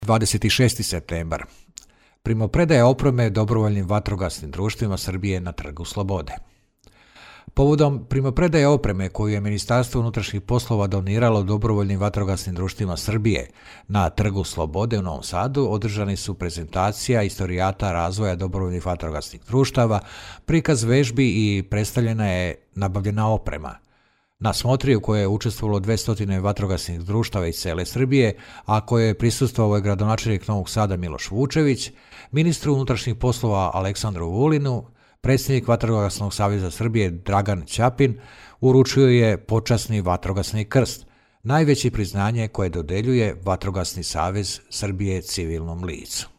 26. septembar. Primopredaja opreme dobrovoljnim vatrogasnim društvima Srbije na Trgu Slobode. Povodom primopredaje opreme koju je Ministarstvo unutrašnjih poslova doniralo dobrovoljnim vatrogasnim društvima Srbije na Trgu Slobode u Novom Sadu održani su prezentacija istorijata razvoja dobrovoljnih vatrogasnih društava, prikaz vežbi i predstavljena je nabavljena oprema. Na smotri u kojoj je učestvovalo 200 vatrogasnih društava iz cele Srbije, a koje je prisustvovao je gradonačelnik Novog Sada Miloš Vučević, ministru unutrašnjih poslova Aleksandru Vulinu, predsjednik Vatrogasnog saveza Srbije Dragan Ćapin uručio je počasni vatrogasni krst, najveće priznanje koje dodeljuje Vatrogasni savez Srbije civilnom licu.